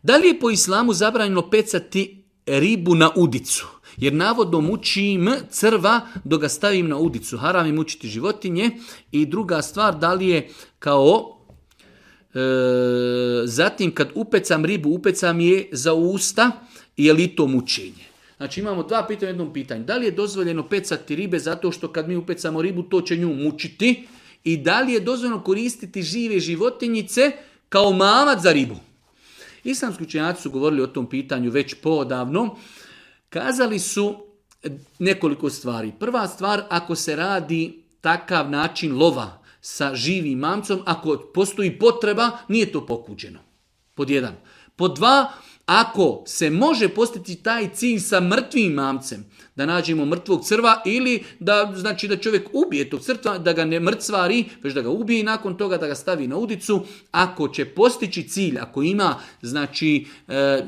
Da li je po islamu zabranjeno pecati ribu na udicu? Jer navodno mučim crva dok ga stavim na udicu. Haram je mučiti životinje. I druga stvar, da li je kao... zatim kad upecam ribu, upecam je za usta, je li to mučenje? Znači imamo dva pitanja u jednom pitanju. Da li je dozvoljeno pecati ribe zato što kad mi upecamo ribu to će nju mučiti? I da li je dozvoljeno koristiti žive životinjice kao mamac za ribu? Islamski učenjaci su govorili o tom pitanju već poodavno. Kazali su nekoliko stvari. Prva stvar, ako se radi takav način lova sa živim mamcom, ako postoji potreba, nije to pokuđeno. Pod jedan. Pod dva, ako se može postići taj cilj sa mrtvim mamcem, da nađemo mrtvog crva ili da, znači da čovjek ubije tog crva, da ga ne mrcvari, već da ga ubije i nakon toga da ga stavi na udicu, ako će postići cilj, ako ima, znači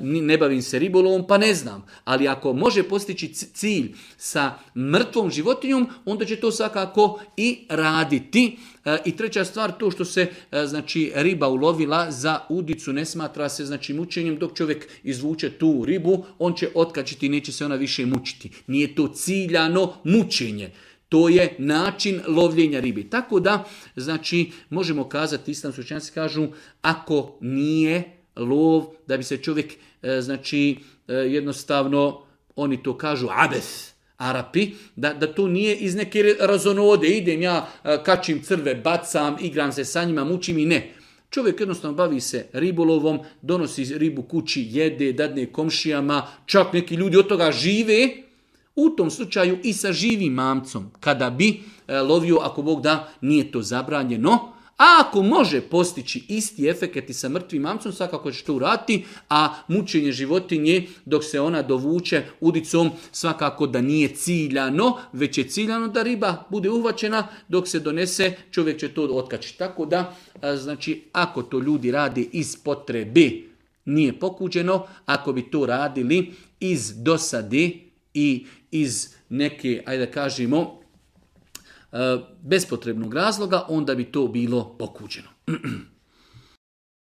ne bavim se ribolovom pa ne znam, ali ako može postići cilj sa mrtvom životinjom, onda će to svakako i raditi. I treća stvar, to što se znači riba ulovila za udicu ne smatra se znači mučenjem, dok čovjek izvuče tu ribu, on će otkačiti i neće se ona više mučiti. Nije to ciljano mučenje. To je način lovljenja ribi. Tako da, znači, možemo kazati, islamski učenjaci kažu, ako nije lov, da bi se čovjek, znači, jednostavno, oni to kažu abes, Arapi, da to nije iz neke razonode, idem ja, kačim crve, bacam, igram se sa njima, mučim i ne. Čovjek jednostavno bavi se ribolovom, donosi ribu kući, jede, dadne komšijama, čak neki ljudi od toga žive, u tom slučaju i sa živim mamcom, kada bi lovio, ako Bog da, nije to zabranjeno. A ako može postići isti efekt i sa mrtvim mamcom, svakako će to uraditi, a mučenje životinje dok se ona dovuče udicom svakako da nije ciljano, već je ciljano da riba bude uhvaćena, dok se donese čovjek će to otkačiti. Tako da, znači, ako to ljudi rade iz potrebe, nije pokuđeno, ako bi to radili iz dosade i iz neke, ajde da kažemo, bespotrebnog razloga, onda bi to bilo pokuđeno.